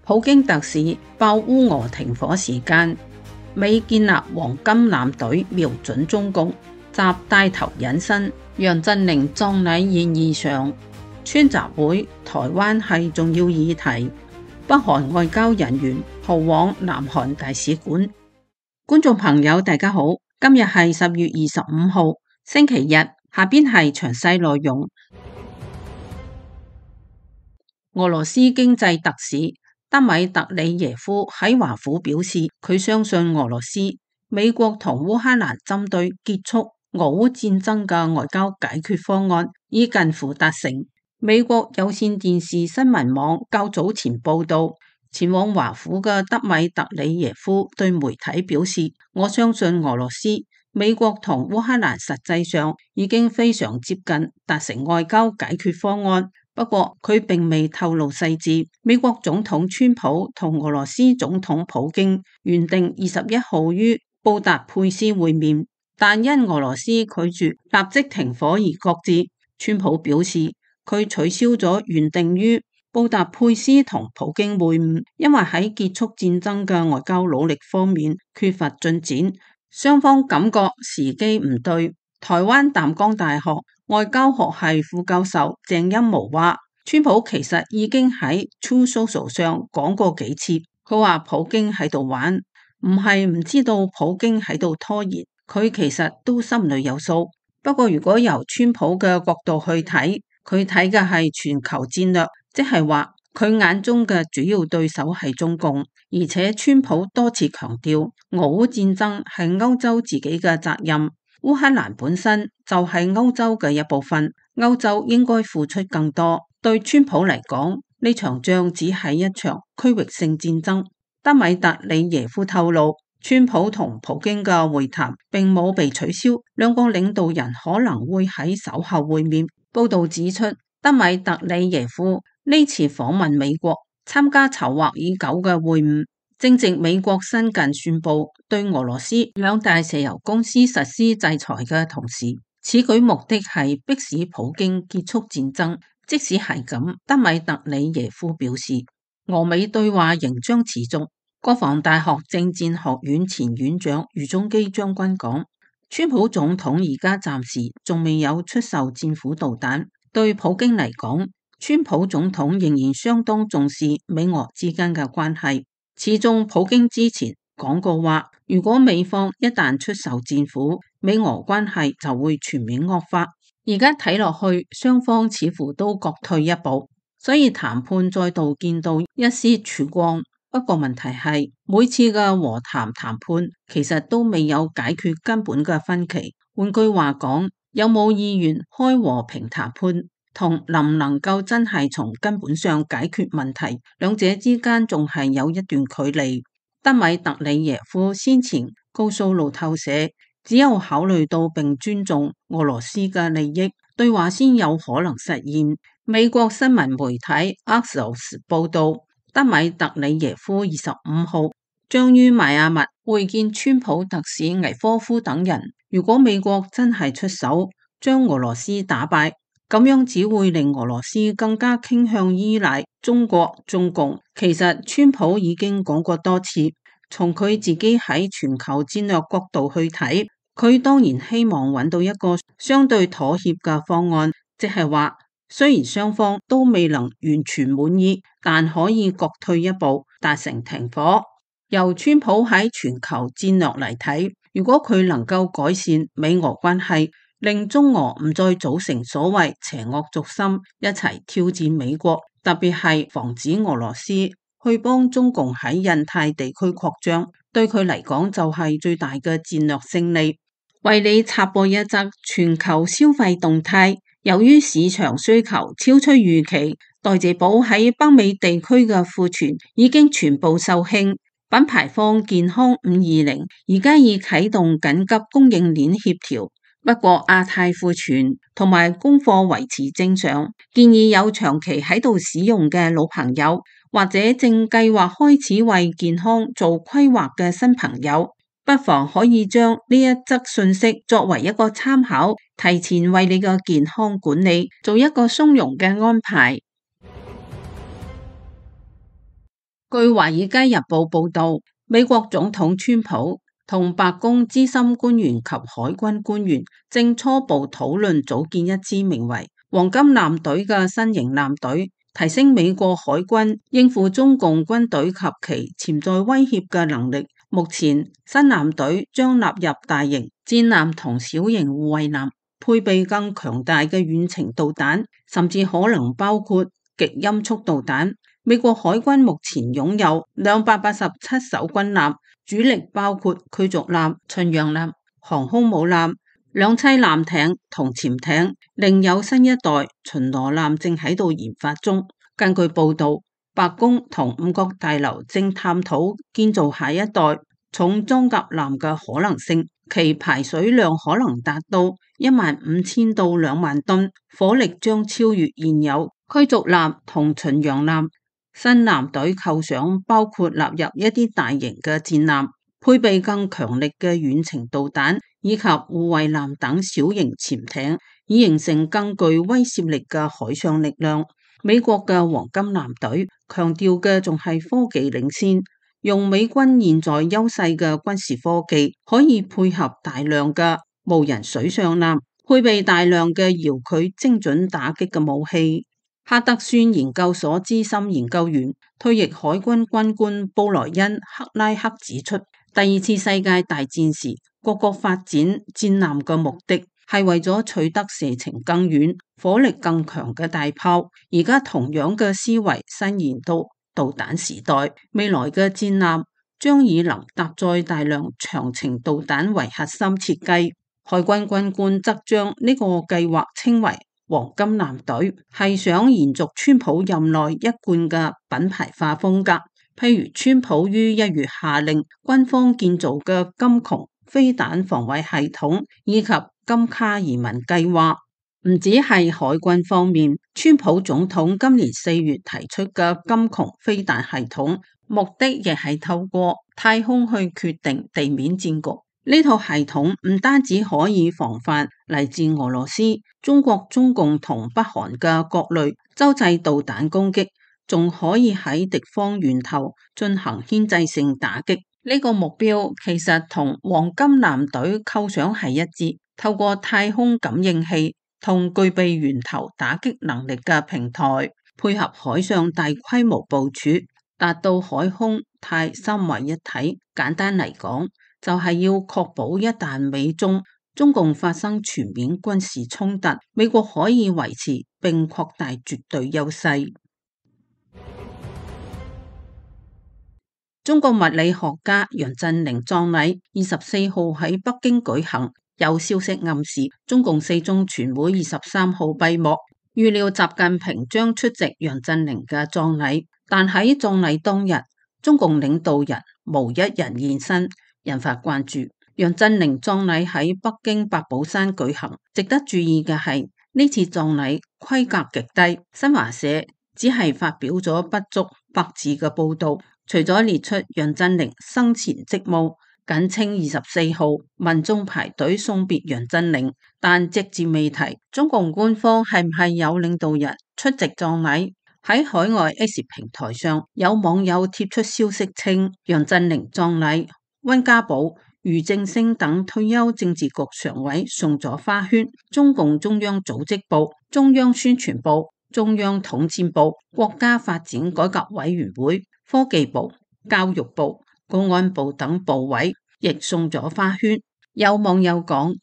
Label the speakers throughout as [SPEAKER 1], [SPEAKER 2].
[SPEAKER 1] 普京特使爆烏俄停火時間，美建立黃金艦隊瞄準中共，習帶頭隱身，楊振寧葬禮宴異常，川習會台灣係重要議題，北韓外交人員逃往南韓大使館。觀眾朋友大家好，今日係10月25號星期日，下邊係詳細內容。俄羅斯經濟特使德米特里耶夫喺華府表示，佢相信俄羅斯、美國同烏克蘭針對結束俄烏戰爭嘅外交解決方案已近乎達成。美國有線電視新聞網較早前報道，前往華府嘅德米特里耶夫對媒體表示，我相信俄羅斯、美國同烏克蘭實際上已經非常接近達成外交解決方案。不過佢並未透露細節。美國總統川普同俄羅斯總統普京原定21號於布達佩斯會面，但因俄羅斯拒絕立即停火而擱置。川普表示佢取消咗原定於布達佩斯同普京會晤，因為喺結束戰爭嘅外交努力方面缺乏進展，雙方感覺時機唔對。台灣淡江大學外交學系副教授鄭欽模話，川普其實已經喺 Truth Social 上講過幾次，佢話普京喺度玩，唔係唔知道普京喺度拖延，佢其實都心裏有數。不過如果由川普嘅角度去睇，佢睇嘅係全球戰略，即係話佢眼中嘅主要對手係中共，而且川普多次強調俄烏戰爭係歐洲自己嘅責任。烏克蘭本身就係歐洲嘅一部分，歐洲應該付出更多。對川普嚟講，呢場仗只係一場區域性戰爭。德米特里耶夫透露，川普同普京嘅會談並冇被取消，兩個領導人可能會喺稍後會面。報道指出，德米特里耶夫呢次訪問美國，參加籌劃已久嘅會晤。正值美國新近宣布對俄羅斯兩大石油公司實施制裁嘅同時，此舉目的係迫使普京結束戰爭。即使係咁，德米特里耶夫表示，俄美對話仍將持續。國防大學政戰學院前院長余宗基將軍講，川普總統而家暫時仲未有出售戰斧導彈。對普京嚟講，川普總統仍然相當重視美俄之間嘅關係。始終普京之前講過話，如果美方一旦出售戰斧，美俄關係就會全面惡化。而家睇落去，雙方似乎都各退一步，所以談判再度見到一絲曙光。不過問題係，每次嘅和談談判其實都未有解決根本嘅分歧。換句話講，有冇意願開和平談判，同能唔能夠真係從根本上解決問題，兩者之間仲係有一段距離。德米特里耶夫先前告訴路透社，只有考慮到並尊重俄羅斯嘅利益，對話先有可能實現。美國新聞媒體 Axios 報道，德米特里耶夫25號將於邁阿密會見川普特使危科夫等人。如果美國真係出手將俄羅斯打敗，咁樣只會令俄羅斯更加傾向依賴中國、中共。其實川普已經講過多次，從佢自己喺全球戰略角度去睇，佢當然希望揾到一個相對妥協嘅方案，即係話雖然雙方都未能完全滿意，但可以各退一步達成停火。由川普喺全球戰略嚟睇，如果佢能夠改善美俄關係，令中俄唔再組成所謂邪惡軸心，一齊挑戰美國，特別係防止俄羅斯去幫中共喺印太地區擴張，對佢嚟講就係最大嘅戰略勝利。為你插播一則全球消費動態，由於市場需求超出預期，代謝寶喺北美地區嘅庫存已經全部售罄。品牌方健康520而家已啟動緊急供應鏈協調。不過亞太庫存同埋供貨維持正常，建議有長期喺度使用嘅老朋友，或者正計劃開始為健康做規劃嘅新朋友，不妨可以將呢一則信息作為一個參考，提前為你嘅健康管理做一個鬆容嘅安排。據《華爾街日報》報道，美國總統川普同白宮資深官員及海軍官員正初步討論組建一支名為黃金艦隊嘅新型艦隊，提升美國海軍應付中共軍隊及其潛在威脅嘅能力。目前新艦隊將納入大型戰艦同小型護衛艦，配備更強大嘅遠程導彈，甚至可能包括極音速導彈。美國海軍目前擁有287艘軍艦，主力包括驅逐艦、巡洋艦、航空母艦、兩棲艦艇同潛艇，另有新一代巡邏艦正喺度研發中。根據報道，白宮同五角大樓正探討建造下一代重裝甲艦嘅可能性，其排水量可能達到15000到2萬噸，火力將超越現有驅逐艦同巡洋艦。新艦隊構想包括納入一啲大型嘅戰艦，配備更強力嘅遠程導彈以及護衛艦等小型潛艇，以形成更具威懾力嘅海上力量。美國嘅黃金艦隊強調嘅仲係科技領先，用美軍現在優勢嘅軍事科技，可以配合大量嘅無人水上艦，配備大量嘅遙距精準打擊嘅武器。哈德遜研究所資深研究員、退役海軍軍官布萊恩·克拉克指出，第二次世界大戰時，各國發展戰艦嘅目的係為咗取得射程更遠、火力更強嘅大炮。而家同樣嘅思維伸延到導彈時代，未來嘅戰艦將以能搭載大量長程導彈為核心設計。海軍軍官則將呢個計劃稱為黃金艦隊，係想延續川普任內一貫嘅品牌化風格。譬如川普於1月下令軍方建造嘅金穹飛彈防衛系統，以及金卡移民計劃。唔止係海軍方面，川普總統今年4月提出嘅金穹飛彈系統，目的亦係透過太空去決定地面戰局。呢套系統唔單止可以防範嚟自俄羅斯、中國、中共同北韓嘅各類洲際導彈攻擊，仲可以喺敵方源頭進行牽制性打擊。呢個目標其實同黃金艦隊構想係一致，透過太空感應器同具備源頭打擊能力嘅平台，配合海上大規模部署，達到海空太三位一體。簡單嚟講，就係要確保一旦美中共發生全面軍事衝突，美國可以維持並擴大絕對優勢。中國物理學家楊振寧葬禮24號喺北京舉行，有消息暗示中共四中全會23號閉幕，預料習近平將出席楊振寧嘅葬禮，但喺葬禮當日，中共領導人無一人現身，引發關注。楊振寧葬禮喺北京八寶山舉行，值得注意嘅係呢次葬禮規格極低，新華社只係發表咗不足100字嘅報道，除咗列出楊振寧生前職務，簡稱24號民眾排隊送別楊振寧，但隻字未提中共官方係唔係有領導人出席葬禮。喺海外 X 平台上，有網友貼出消息稱楊振寧葬禮，溫家寶、俞正聲等退休政治局常委送咗花圈，中共中央組織部、中央宣傳部、中央統戰部、國家發展改革委員會、科技部、教育部、公安部等部委亦送咗花圈。有網友講，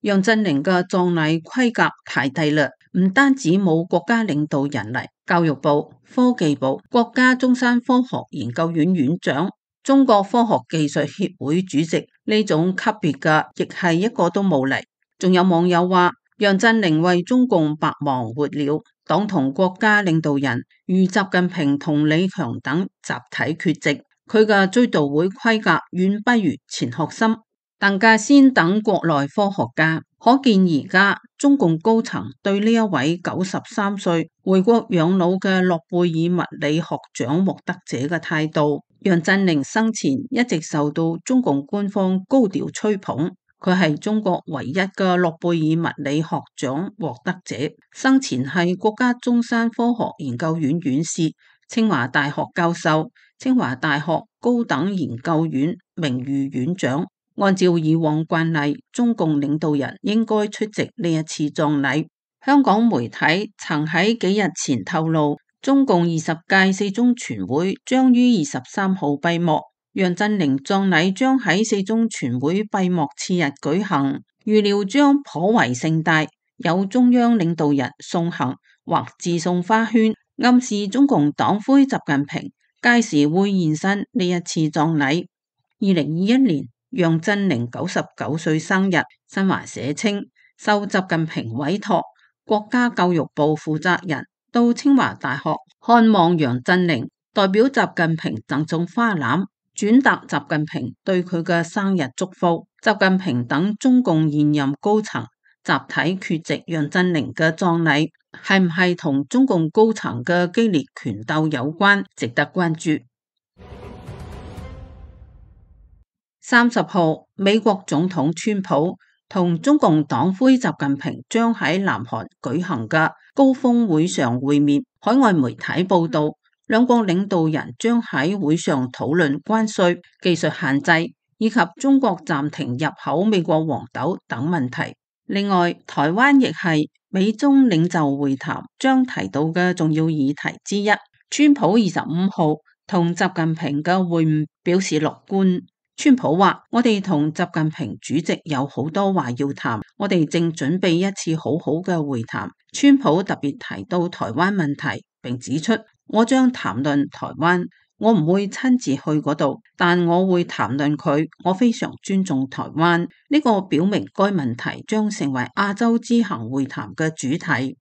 [SPEAKER 1] 楊振寧嘅葬禮規格太低啦，唔單止冇國家領導人嚟，教育部、科技部、國家中山科學研究院院長、中國科學技術協會主席呢種級別嘅，亦係一個都冇嚟。仲有網友話，楊振寧為中共白忙活了，黨同國家領導人如習近平同李強等集體缺席，佢嘅追悼會規格遠不如錢學森、鄧稼先等國內科學家。可見而家中共高層對呢一位93歲回國養老嘅諾貝爾物理學獎獲得者嘅態度。楊振寧生前一直受到中共官方高調吹捧，佢係中國唯一嘅諾貝爾物理學獎獲得者，生前係國家中山科學研究院院士、清華大學教授、清華大學高等研究院名譽院長。按照以往慣例，中共領導人應該出席呢一次葬禮。香港媒體曾喺幾日前透露，中共20屆四中全會將於23號閉幕，楊振寧葬禮將喺四中全會閉幕次日舉行，預料將頗為盛大，有中央領導人送行或致送花圈，暗示中共黨魁習近平屆時會現身呢一次葬禮。2021年楊振寧99歲生日，新華社稱受習近平委託，國家教育部負責人到清華大學看望楊振寧，代表習近平贈送花籃，轉達習近平對佢嘅生日祝福。習近平等中共現任高層集體缺席楊振寧嘅葬禮，係唔係同中共高層嘅激烈權鬥有關，值得關注。30號，美國總統川普同中共黨魁習近平將喺南韓舉行嘅高峰會上會面。海外媒體報道，兩國領導人將喺會上討論關稅、技術限制以及中國暫停入口美國黃豆等問題。另外，台灣亦係美中領袖會談將提到嘅重要議題之一。川普25號同習近平嘅會晤表示樂觀。川普話：我哋同習近平主席有好多話要談，我哋正準備一次好好嘅會談。川普特別提到台灣問題，並指出：我將談論台灣，我唔會親自去嗰度，但我會談論佢。我非常尊重台灣。呢個表明該問題將成為亞洲之行會談嘅主題。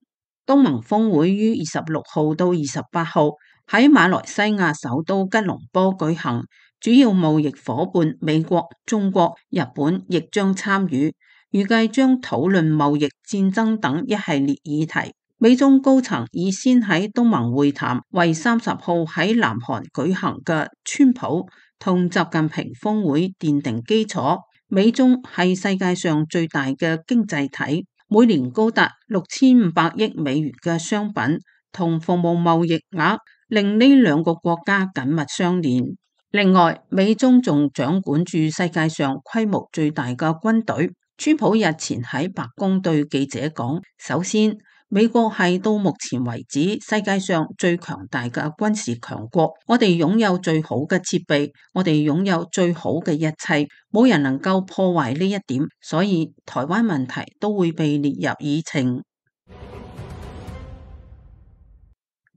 [SPEAKER 1] 東盟峰會於26號到28號喺馬來西亞首都吉隆坡舉行。主要貿易夥伴美國、中國、日本亦將參與，預計將討論貿易戰爭等一系列議題。美中高層已先喺東盟會談，為30號喺南韓舉行嘅川普同習近平峰會奠定基礎。美中係世界上最大嘅經濟體，每年高達6500億美元嘅商品同服務貿易額，令呢兩個國家緊密相連。另外，美中仲掌管住世界上規模最大嘅軍隊。川普日前喺白宮對記者講：首先，美國係到目前為止世界上最強大嘅軍事強國，我哋擁有最好嘅設備，我哋擁有最好嘅一切，冇人能夠破壞呢一點，所以台灣問題都會被列入議程。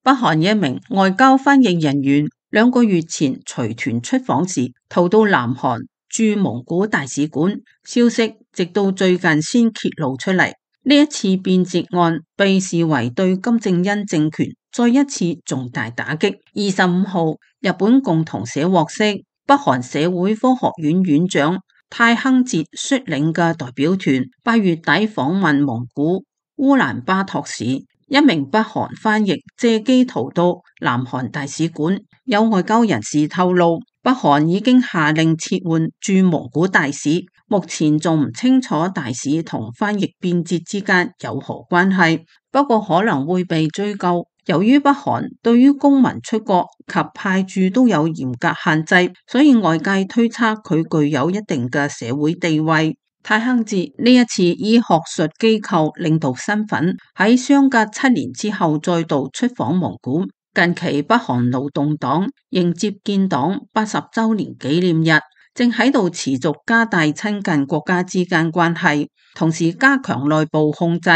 [SPEAKER 1] 北韓一名外交翻譯人員2個月前隨團出訪時，逃到南韓駐蒙古大使館，消息直到最近先揭露出嚟。呢一次變節案被視為對金正恩政權再一次重大打擊。25號，日本共同社獲悉，北韓社會科學院院長太亨哲率領嘅代表團8月底訪問蒙古烏蘭巴托市。一名北韓翻譯借機逃到南韓大使館，有外交人士透露，北韓已經下令撤換駐蒙古大使，目前仲唔清楚大使同翻譯變節之間有何關係，不過可能會被追究。由於北韓對於公民出國及派駐都有嚴格限制，所以外界推測佢具有一定嘅社會地位。太亨哲呢一次以學術機構領導身份喺相隔7年之後再度出訪蒙古。近期北韓勞動黨迎接建黨80週年紀念日，正喺度持續加大親近國家之間關係，同時加強內部控制。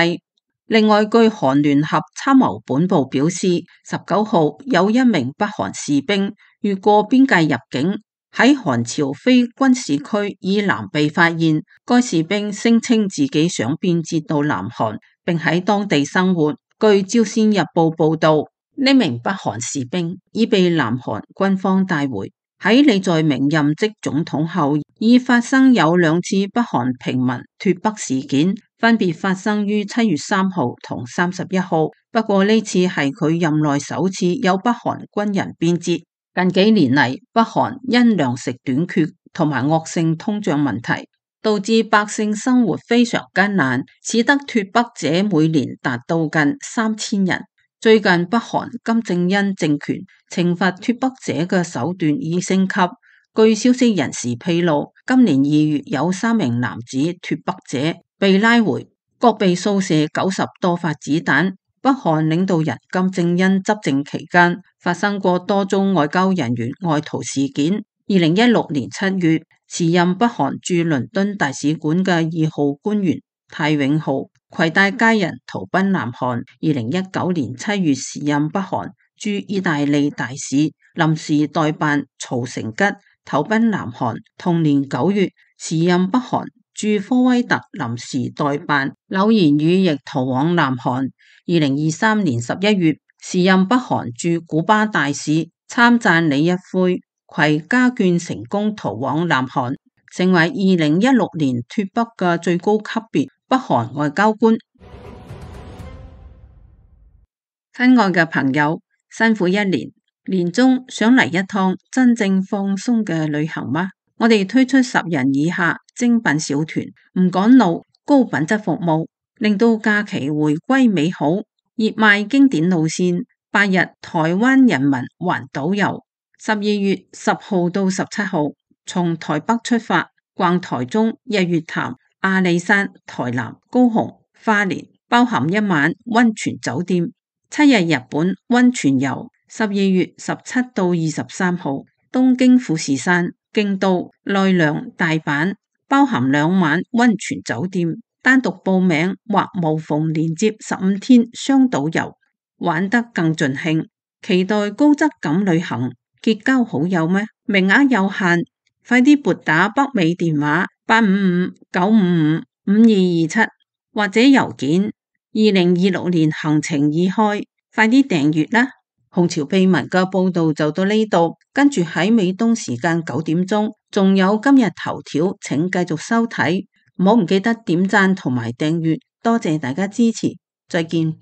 [SPEAKER 1] 另外，據韓聯合參謀本部表示，19號有一名北韓士兵越過邊界入境，喺韓朝非軍事區以南被發現。該士兵聲稱自己想變節到南韓，並喺當地生活。據朝鮮日報報道，呢名北韓士兵已被南韓軍方帶回。喺李在明任職總統後，已發生有2次北韓平民脫北事件，分別發生於7月3號同31號。不過呢次係佢任內首次有北韓軍人變節。近幾年嚟，北韓因糧食短缺同埋惡性通脹問題，導致百姓生活非常艱難，使得脫北者每年達到近3000人。最近北韓金正恩政權懲罰脫北者嘅手段已升級。據消息人士披露，今年2月有3名男子脫北者被拉回，各被掃射90多發子彈。北韓領導人金正恩執政期間發生過多宗外交人員外逃事件。2016年7月，時任北韓駐倫敦大使館嘅2號官員太永浩攜帶家人逃奔南韓。2019年7月，時任北韓駐意大利大使臨時代辦曹成吉投奔南韓。同年9月，時任北韓駐科威特臨時代辦柳賢宇亦逃往南韓。2023年11月，時任北韓駐古巴大使參贊李一輝攜家眷成功逃往南韓，成為2016年脫北嘅最高級別北韓外交官。親愛嘅朋友，辛苦一年，年終想嚟一趟真正放鬆嘅旅行嗎？我哋推出10人以下精品小團，唔趕路，高品質服務，令到假期回歸美好。熱賣經典路線，8日台灣人民環島遊，12月10號到17號，從台北出發，逛台中、日月潭、阿里山、台南、高雄、花蓮，包含1晚溫泉酒店。7日日本溫泉遊，12月17到23號，東京富士山、京都、奈良、大阪，包含2晚溫泉酒店。單獨報名或無縫連接15天雙島遊，玩得更盡興。期待高質感旅行，結交好友咩？名額有限，快啲撥打北美電話855-955-5227或者郵件。2026年行程已開，快啲訂閱啦！紅潮秘聞嘅報道就到呢度，跟住喺美東時間9點鐘，仲有今日頭條，請繼續收睇，唔好唔記得點讚同埋訂閱，多謝大家支持，再見。